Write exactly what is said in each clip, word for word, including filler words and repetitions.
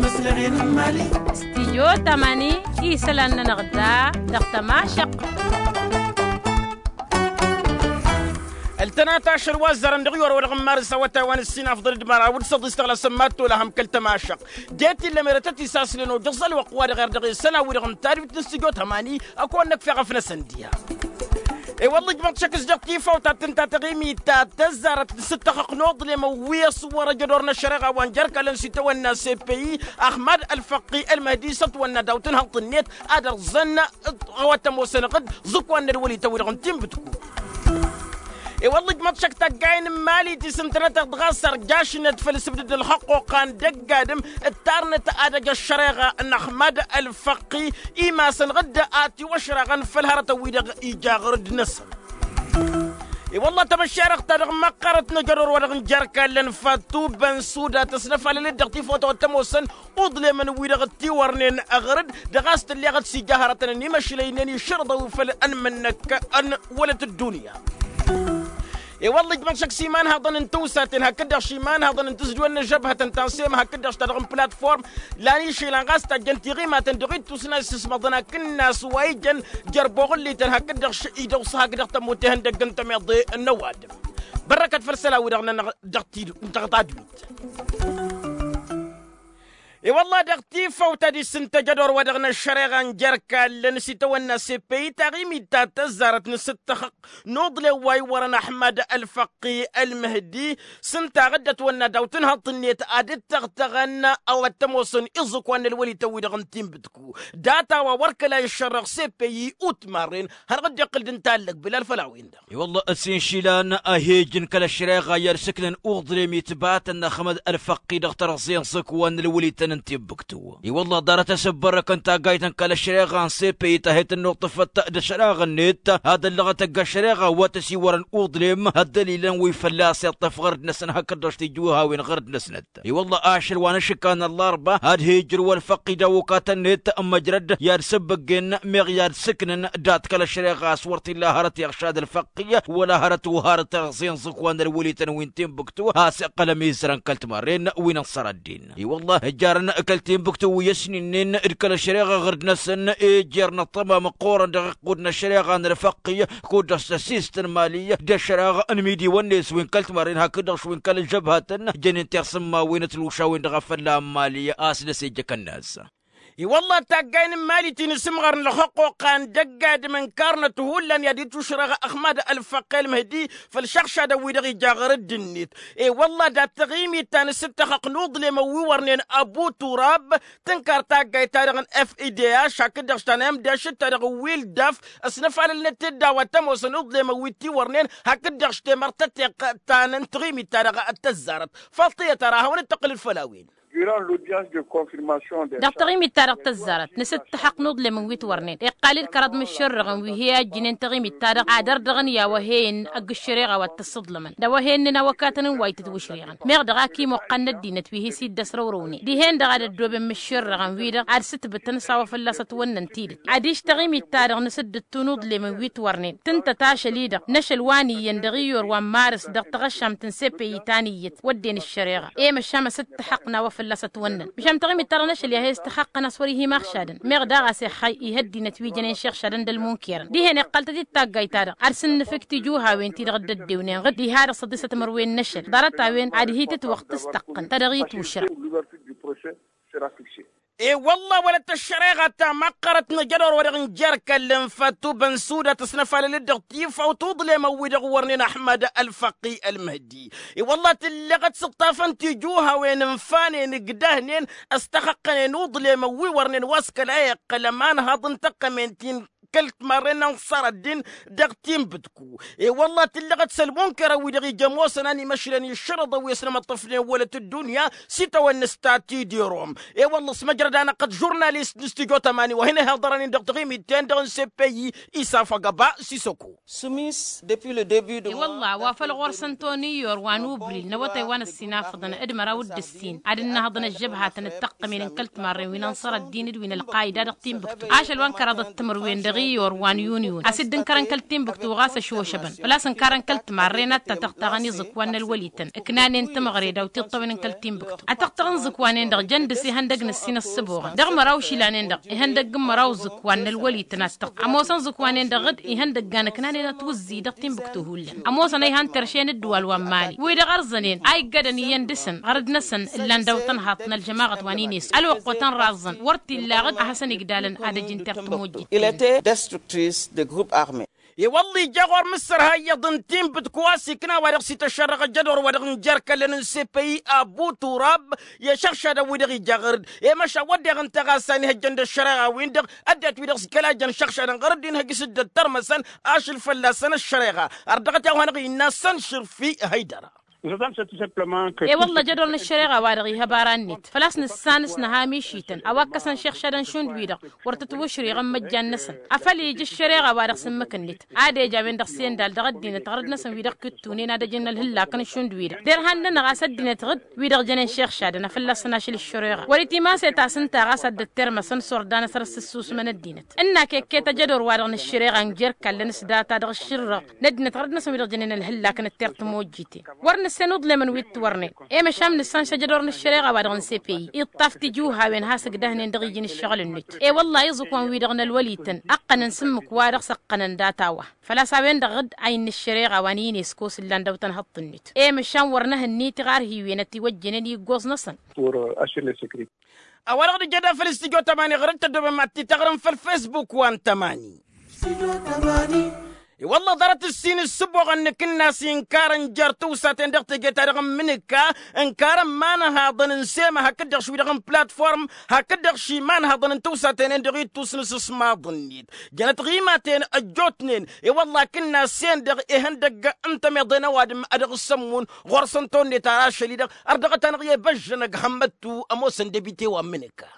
Stijyo tamani isălan-nănăɣ da dăɣ-tămašăq. Ăltănat ašăl wa ăzzărăn dăɣ-iwăr wa dăɣ-n marǝs awătay wa n-ǝssinafḍăl d-măraw d-săḍis tăɣlasăn ma t-olăhăm kăl-tămašăq. De-t illa merătăt isaslăn ojăẓ ălwăqq wa dăɣ-err dăɣ-esăn a-wi-dăɣ n-tadwit n-stijyo tamani. Ăkăwăn-năkf eɣăf-năsăn diha. I-wălla ǝjmăḍ šăkk s-dăɣ tifawt ta t-ǝnta taɣimit ta tăzzarăt n-sǝttăxăq n-uḍlem wi ăswărăj ădor n-ăššăreɣa wa n-jerk alăn s-itawănna sepeyi. Ăxmad ălfăqqi ălmăhdi s-ătwănna daw-tǝnhăḍt-net ad-ărẓăn ăwătămosăn ɣǝd ẓǝkwan n-ălwălităn-wi-dăɣ n-tinbǝtku. I-wălla ǝjmăḍ šăkk tăggayen n-imali ti s-ǝntănăteɣ dăɣ-a-s ărjašnăt făll-sǝbdǝd n-ălxăqquqa n-dăgg-adǝm ǝttarnăt ad-ăj ăššăreɣa n-ăxmad ălfăqqi imasăn ɣǝdda a tiwăšraɣăn făll-hărătăn-wi-dăɣ ija ɣur-dd-năsăn. I-wălla tamăššerăɣt-ta-dăɣ măqqărăt n-ajădor wa dăɣ-n jer-kallăn fătubăn suda tăsnăfalăl-dd dăɣ-tifawt a-wa t-ămoosăn uḍlemăn-wi-dăɣ ăttiwărnen ɣur-dd dăɣ-a-s tǝlleɣăt s-ija hărătăn n-imăšlăynen išrǝḍăw făll-ănmǝnnăk n-wălăt ăddunya. I-wălla ǝjmăḍ šăkk s-imanhăḍăn n-tiwsaten hakd-dăɣ š-imanhăḍăn n-tǝzjǝwen n-žăbhătăn ta n-sem hakd-dăɣ š-ta-dăɣ n-platform. Lan išel ănɣas tajjăn tiɣimaten dăɣ-ittus n-ad-sǝsmăḍăn akǝnnas wa ijăn jer-boɣǝllităn hakd-dăɣ š-idăw s-hak dăɣ-tămut ihăndăgg n-tămeḍe n-ăwadǝm. Bărrăkăt făll-isălan-wi-dăɣ nănăɣ dăɣ-tidǝw dăɣ-tadwit. I-wălla dăɣ-tifawt ad-isǝntăj ădor wa dăɣ-năššăreɣa n-jer-kallăn s-itawănna sepeyi taɣimit ta tăzzarăt n-asǝttăxăq n-uḍlem wa iwărăn ăxmad ălfăqqi ălmăhdi s-ǝnta ɣǝddăt wănna daw-tǝnhăḍt-net ad-dd-tăɣtăɣăn a-wa t-ămoosăn iẓǝkwan n-ălwălităn-wi-dăɣ n-tinbǝtku. Data wa wăr kăla iššărrăɣ sepeyi utmarren. Hărɣǝd iqqǝl-dd ǝnta allăg bilal făll-a-wen-dăɣ. I-wălla ăssiinšilan a he-ǝjǝn kăl-ăššăreɣa i-ad-sǝknăn uḍlem itbatăn n-ăxmad ălfăqqi dăɣ-tărẓe n-iẓǝkwan n-ălwălităn n-tinbǝktu. I-wălla ḍarăt asǝbbărrăk n-taggayt n-kăl-ăššăreɣa n-sepeyi ta he-tǝnnuṭṭăfăt d-ašăraɣ-net ad-ăllăɣăt ăgg-ăššăreɣa wa tăsiwărăn uḍlem ăddălilăn wi fălla-s iṭṭăf ɣărd-năsăn hakd-dăɣ s-tijuhawen ɣărd-năsnăt. I-wălla ašăl wa n-ašǝkka n-ăllarba ad-he-ijrǝw ălfăqqi d-awukat-net ămmăjrăd i-ad-sǝbbǝggen meɣ i-ad-sǝknăn dat-kăl-ăššăreɣa a-s wăr t-illa hărăt iɣšad ălfăqqi wăla hărăt uharăt ăɣẓen ẓǝkwan n-ălwălităn wi n-tinbǝktu a-s iqqăl ămizărăn kăl-timarren wi n-ănṣăr ăddin. I-wălla ǝjjarăn kăl-tinbǝktu wi ăsninen d-kăl-ăššăreɣa ɣǝrd-năsăn i-jer n-ăṭṭăma măqqoorăn dăɣ-iqqud n-ăššăreɣa n-ălfăqqi kud-dăɣ s-tăsist n-mali d-ăššăreɣa n-imidi wănnes wi n-kăl-timarren hakd-dăɣ š-wi n-kăl-ăžžăbhatăn jănen tirsǝmmawen ătlušawen dăɣ-afălla n-mali a-s dăr-s ijjăkăn-as. I-wălla taggay n-imali ti n-asǝmɣăr n-ălxăqquqa n-dăgg-adǝm ǝnkarnăt hullan i-ad-itušrăɣ ăxmad ălfăqqel măhdi făll-išăɣšadăn-wi-dăɣ ija ɣur-dd-net. I-wălla dat-taɣimit ta n-asǝttăxăq n-uḍlemăn wi wărnen ăbu turab tǝnkar taggayt-ta-dăɣ n-f i d h hakd-dăɣ s-ta n-m d h d-ta-dăɣ n-wildaf ăsnăfalălnăt-dd a-wa t-ămoosăn uḍlemăn wi t-iwărnen hakd-dăɣ s-temărt tăteqqăt ta n-taɣimit-ta-dăɣ d-tăzzarăt. Faḍt iyyăt ara a hawăn-dd-tăqqǝlǝd făll-a-wen. Dăɣ-taɣimit-ta-dăɣ tăzzarăt n-asǝttăxăq n-uḍlemăn wi t-wărnen iqqal-dd kăraḍ imǝššărrăɣăn wi he-ăjjǝnen taɣimit-ta-dăɣ ad-ărdăɣăn i-a-wa he-en ăgg-ǝššăreɣa wa t-ăssǝḍlămăn d-a-wa he-ǝnnǝn awăkatăn n-wa itǝtwǝšreɣăn meɣ dăɣ-ak imoqqăn n-ăddinăt wi hi-s-dd-ăsrăwrăwnen dihen-dăɣ ad-ăddooben imǝššărrăɣăn-wi-dăɣ ad-sǝtbǝtăn s-a-wa fălla-s ătwănnăn tidǝt adiš taɣimit-ta-dăɣ n-asǝddǝttu n-uḍlemăn wi t-wărnen tǝntăt ašăl-i-dăɣ n-ašăl wa n-iyyăn dăɣ-iyyur wa n-marǝs dăɣ-taɣăššamt n-sepeyi ta n-iyyăt wădden ăššăreɣa i-măšan asǝttăxăq n-a-wa fălla-s ătwănnăn măšan taɣimit-ta-dăɣ n-ašăl i-ad-he-s tăxaqqăn a-s wăr-ihi imaɣšadăn meɣ daɣ a-s ixxay ihăddinăt wi jănen šixšadăn d-ălmunkirăn dihen iqqăl-tăt-dd taggayt-ta-dăɣ ad-sǝnnǝfǝk tijuhawen-ti-dăɣ dd-ăddewnen ɣǝd diha dăɣ-săḍisăt mărwen n-ašăl ḍarăt-a-wen ad-hi-tǝtwăɣ tǝsṭăqqăn ta dăɣ-itwǝšrăɣ. I-wălla wălăt ăššăreɣa ta măqqărăt n-ajădor wa dăɣ-n jer-kăllăn fătubăn suda tăsnăfalăl-dd dăɣ-tifawt uḍlemăn-wi-dăɣ wărnen ăxmad ălfăqqi ălmăhdi. I-wălla tǝllăɣăt s-ǝṭṭafăn tijuhawen ǝnfanen ǝgdăhnen ăstăxăqqănen uḍlemăn wi wărnen wa s-kăla iqqăl ămanhăḍ n-tăqqămen-tin kăl-timarren n-ănṣăr ăddin dăɣ-tinbǝtku. I-wălla tǝllăɣăt s-ălmunkărăn-wi-dăɣ ija ămoosăn a n-imăšlen išrǝḍăn wi ăsnămăṭṭăfnen wălăt ăddunya s-itawănna s-ta tidirom. I-wălla s-măjrăd-anăɣ-t žurnalist n-stujo tamani wa hin-ihaḍărăn-in dăɣ-taɣimit-ten-dăɣ n-sepeyi isaf agăba s-isăko. Sumis depuis le debut de i-wălla wa făl ɣur-săn toniyor wa n-ubril n-awătay wa n-ăssinafăḍăn d-măraw d-ǝssin ad-ǝnnăhăḍăn ăžžăbhatăn d-tăqqămen n-kăl-timarren wi n-ănṣăr ăddin d-wi n-ălqayda dăɣ-tinbǝktu ašăl wa n-kăraḍăt timǝrwen. Ɣiyor wa n-yuniyun a-s dd-ǝnkărăn kăl-timbǝktu ɣas ăšošăbăn făl-a-s ǝnkarăn kăl-timarre n-ad-tatăɣtaɣăn iẓǝkwan n-ălwălităn ǝknanen timăɣre daw-tiṭṭăwen n-kăl-timbǝktu. Atăɣtăɣ-in iẓǝkwanen-dăɣ jăn dăr-s ihăndăg n-ǝssin ăssǝboɣăn dăɣ-măraw išilanen-dăɣ ihăndăg n-măraw iẓǝkwan n-ălwălităn ad-tăɣt ămoosăn iẓǝkwanen-dăɣ dd-ihăndăggan ǝknanen atwǝzzǝy dăɣ-timbǝktu hullan. Ămoosăn a ihăn terše n-ǝddǝwal wa n-mali wi-dăɣ ărzănen a iggădăn iyyăn dăɣ-săn ɣărăd-năsăn ǝllan daw-tăn haḍt n-ălžămaɣăt wa n-inesku ălwăqqotăn raẓẓăn wăr t-illa aɣǝd a hasăn-igdalăn ad-ăjǝn tertǝmojjit. Ilăte destructrice de grup arme. I-wălla ija ɣur-mǝssărha iyyăḍ n-tinbǝt kăwasik n-a-wa-dăɣ s-ităššărrăɣ ăjjădor wa-dăɣ n-jer-kăllăn n-sepeyi abu turab i-ăššăɣšadăn wi-dăɣ ija ɣăr-dd i-măšan wădden ănta ɣas a inhăjjăn d-ăššăreɣa-win-dăɣ. Ăddinăt wi-dăɣ s-kăla jăn šăɣšadăn ɣăr-dd inhăj s-dd-ăttărmăsăn ašăl fălla-săn ăššăreɣa. Ărdăɣăt i-a-wa-dăɣ innă săn šărfi hăydăra. E-wălla jădor n-ăššăreɣa-wa-dăɣ ihăb ara-net făl-a-s nǝssan s-nǝha mišităn a-wa ǝkkăsăn šixšadăn šund-wi-dăɣ wăr tǝtwǝšriɣăn măjjan-năsăn. Afăl ija ăššăreɣa-wa-dăɣ s-ǝmmǝk-net ad-ej a-wen-dăɣ s-endal dăɣ-ăddinăt ɣărăd-năsăn wi-dăɣ kǝttunen ad-ăjǝn ălhǝllak n-šund-wi-dăɣ derhan-nănăɣ a-s ăddinăt ɣǝd wi-dăɣ jănen šixšadăn a fălla-săn ašăl ăššăreɣa wăr-itimas i-tasǝnta ɣas ad-dd-ăttermăsăn s-orda-năsăn ăssǝssusmăn ăddinăt. Ǝnn'-ak ekket ajădor-wa-dăɣ n-ăššăreɣa n-jer-kallăn s-data dăɣ-ašǝrrăɣ n-ăddinăt ɣărăd-năsăn wi-dăɣ jănen ălhǝllak n-ăttert timojjiten wăr nǝssen uḍlemăn wi t-wărnen. I-măšan nǝssan šăjădor n-ăššăreɣa-wa-dăɣ n-sepeyi iṭṭaf tijuhawen has-ǝgdăhnen dăɣ-iji n-ǝššăɣǝl-net. I-wălla iẓǝkwan-wi-dăɣ n-ălwălităn ăqqănăn s-ǝmmǝk wa dăɣ-s ăqqănăn data-wa făl-a-s a-wen-dăɣ dd-a innă ăššăreɣa wa n-inesku s-ǝllan dăw-tăn hăṭṭǝn-net. I-măšan wăr nǝhǝnnit iɣarhiwen ătiwăjjănen i-ǝggoẓ-năsăn. A-wa-dăɣ d-ija da făll-s tijo tămani ɣur-dd tăddobem ad-t-taɣrǝm făll-fesbuk wa n-tămani. I-wălla ḍarăt ǝssin ǝssǝboɣăn n-akǝnnas inkarăn jer-tawsaten dăɣ-teje-ta-dăɣ n-imǝnǝka ǝnkarăn imanhaḍăn n-sema hakd-dăɣ š-wi-dăɣ n-platform hakd-dăɣ š-imanhaḍăn n-tawsaten-en-dăɣ ittus n-asǝsmaḍ-net. Jănăt ɣimaten ăjjootnen i-wălla akǝnnas-en-dăɣ ihăndăgg n-tămeḍe n-ăwadǝm a dăɣ-sămmun ɣur-săn tonnet ara ašăl-i-dăɣ. Ărdăɣăt-anăɣ i-băžžănăg hămmăttu ămoosăn debite wa n-imǝnǝka.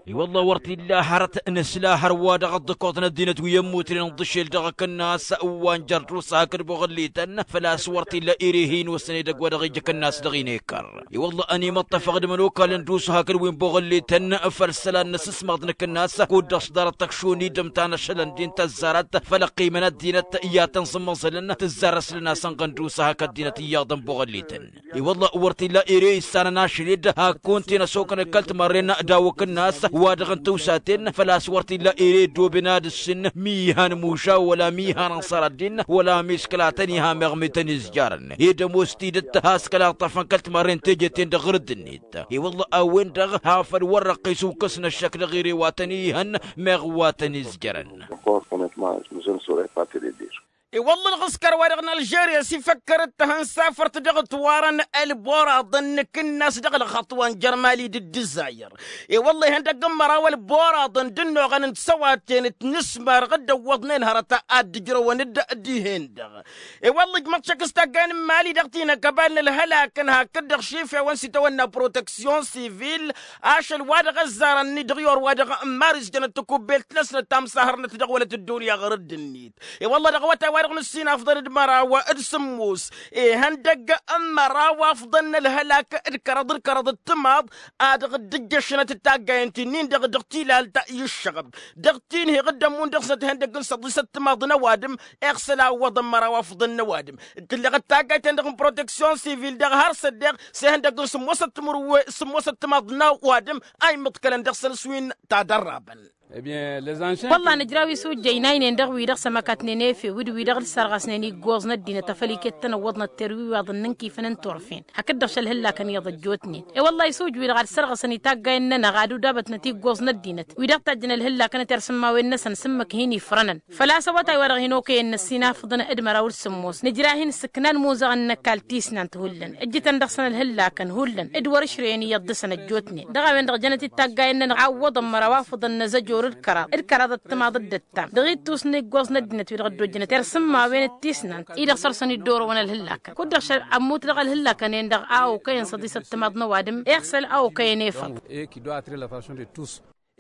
I-wălla wăr t-illa hărăt nǝsla hărwa dăɣ-ăḍḍăkoḍ n-ăddinăt wi ămmutnen ǝnḍǝšel dăɣ-akǝnnas wa n-jărdus hakd boɣǝllităn făl-a-s wăr t-illa ere hin-osăn edăgg wa dăɣ-ija akǝnnas dăɣ-inekăr. I-wălla ănimăṭṭăfăɣ d-imănokalăn d-us hakd wi n-boɣǝllităn făll-isălan n-asǝsmaḍ n-akǝnnas kud-dăɣ s-ḍarăt tăkšun-i d-ǝmtan ašălăn din tăzzarăt făll-ăqqimăn ăddinăt i-ad-tăn-sǝmmăẓălăn tǝzzar ăslăn-asăn ɣăn d-us hak ăddinăt iyyăḍăn boɣǝllităn. I-wălla wăr t-illa ere issanăn ašăl-dd hak kunta-en ăsokăn d-kăl-timarren daw-akǝnnas wa dăɣ-n tawsaten făl-a-s wăr t-illa ere ăddooben ad-ǝssin mi ihan muša wăla mi ihan ănṣăr ăddin wăla mi s-kăla tăn-iha meɣ mi tăn-izjarăn ed ămoos tidǝt has-kăla ǝṭṭăfăn kăl-timarren teje-ten-dăɣ ɣǝrǝd-net. I-wălla a-wen-dăɣ hafăl wăr răqqis ukǝs n-ăššăk dăɣ-ire wa tăn-ihăn meɣ wa tăn-izjărăn. I-wălla ălɣǝskăr-wa-dăɣ n-ălžerya s-ifăkkăr d-tahǝnsafărt dăɣ-ătwarăn ălboraḍăn n-akǝnnas dăɣ-ălxăṭṭ wa n-jer-mali d-ǝddǝzzayăr. I-wălla ihăndăgg n-măraw ălboraḍăn d-ănnuɣăn n-tisăwaten d-inǝsmar dd-ăwwăḍnen hărăt ad-dd-ǝjrăwăn d-dihen-dăɣ. I-wălla ǝjmăḍ šăkk s-taggayen n-imali dăɣ-t-inăkăbal n-ălhălak n-hakd-dăɣ šifewăn s-itawănna proteksyon sivil ašăl wa dăɣ-ăzzarăn-ni dăɣ-iyor wa dăɣ-n maris jănăt takubbelt-năsnăt ta msahărnăt dăɣ-wălăt ăddunya ɣur-dd-net. I-wălla dăɣ-awătay wa dăɣ-nǝssin afḍăn d-măraw d-sǝmmos ihăndăgg n-măraw afḍăn n-ălhălak d-kăraḍ d-kăraḍ d-timaḍ a dăɣ-dd-ǝjjăšănăt d-taggayen ti-nin-dăɣ dăɣ-tilalt i-ǝššăɣăb dăɣ-tinheɣ d-ămmun dăɣ-snăt ihăndăgg n-săḍisăt timaḍ n-ăwadǝm. Iɣsăl a ǝwwăḍăn măraw afḍăn n-ăwadǝm tǝlleɣ d-taggayt-en-dăɣ n-proteksyon sivil dăɣ-har s-ăddeɣ s-ihăndăgg n-sǝmmosăt timǝrwe sǝmmosăt timaḍ n-ăwadǝm a immǝḍkălăn dăɣ-săn s-win-ta dărrabăn. Wălla nǝjraw isujjăy n-aynen dăɣ-wi-dăɣ s-ămăkatnen efew d-wi-dăɣ d-sărɣăsnen iggoẓ n-ăddinăt a făl iket-tăn ăwwăḍnăt terwiwaḍăn n-inkifăn n-turfen hakd-dăɣ šăl hǝllakăn iyyăḍ ăjjootnen. I-wălla-hi s-ujǝw-wi-dăɣ ad-sărɣăsăn itaggayen-nănăɣ ad-udabătnăt iggoẓ n-ăddinăt wi dăɣ-tajjăn ălhǝllakăn d-tersǝmmawen-năsăn s-ǝmmǝk hin-ifrănăn. Făl-a-s awătay wa dăɣ-hin-okăyăn n-ăssinafăḍăn d-măraw d-sǝmmos nǝjra-hin s-ǝknan imuzăɣăn n-ăkall tisnant hullan ǝjjǝtăn dăɣ-săn ălhǝllakăn hullan d-wăr-ǝšrăyăn iyyăḍ dăɣ-săn ăjjootnen. Dăɣ-a-wen-dăɣ jănăt-dd taggayen-nănăɣ a ǝwwăḍăn măraw afǝḍăn n-azăjor d-kăraḍ d-kăraḍ ăttămaḍ d-ăttam dăɣ-ittus n-iggoẓ n-ăddinăt wi-dăɣ ăddojjănăt irsǝmmawen d-tisnant-i-dăɣ săr-săn iddorăwăn ălhǝllakăn kud-dăɣ šăl ămmut dăɣ-ălhǝllakăn-en-dăɣ a okăyăn săḍisăt timaḍ n-ăwadǝm. Iɣsăl a okăyăn efăḍ.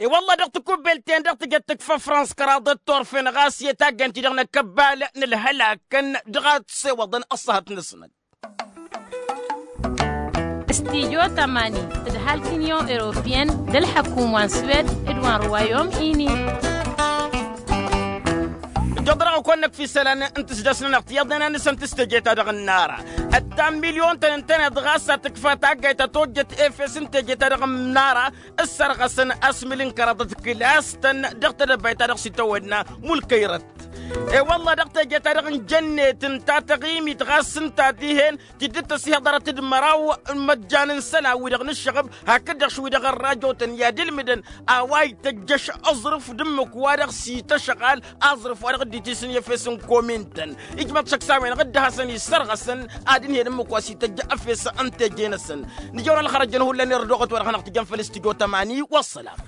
E-wălla dăɣ-takubbelt-en-dăɣ tǝjăt tǝkfa fransa kăraḍăt turfen ɣas i-taggayen-ti-dăɣ n-akăbbal n-ălhălakăn dăɣ-ad-t-sewăḍăn ăṣṣăhăt-năsnăt. Stijo tămani tǝdhal tinyon europiyăn d-ălḥăkum wa n-swed d-wa n-ruwayom ini. Jăḍrăɣ-kăwăn-năkf isălan n-tisdăs-nănăɣ tiyyăḍnen a nǝsăn tǝs teje-ta-dăɣ n-nara. Ăttan milyon-tăn ǝntăneḍ ɣas a tǝkfa taggayt ta tojjăt efes n-teje-ta-dăɣ n-nara. Ǝssărɣăsăn asmǝl n-kăraḍăt kǝlas-tăn dăɣ-tedăbayt ta dăɣ-s itawănna mulkăyrăt. E-wălla dăɣ-teje-ta-dăɣ n-jănnet ǝnta taɣimit ɣas ǝnta dihen tidd-tăsihăḍărăt d-măraw n-imăjjan n-isălan-wi-dăɣ n-ǝššăɣǝb hakd-dăɣ š-wi-dăɣ ărrajotăn i-ad-ǝlmǝdăn a-wa ităjjăš aẓrǝf d-ǝmmǝk-wa-dăɣ s-ităšăɣal aẓrǝf-wa-dăɣ dd-isǝn i-efes n-komin-tăn. Ijmăḍ šăkk s-a-wen-dăɣ dd-hasăn-issărɣăsăn ad-ǝnhǝyăn ǝmmǝk wa s-ităjja efes n-teje-năsăn. Nǝjăwăn ălxărăj-nănăhu ǝllăn irăd oɣăt wa dăɣ-hanăɣ-tǝjăn făll-s tǝjo tămani wa ăssălam.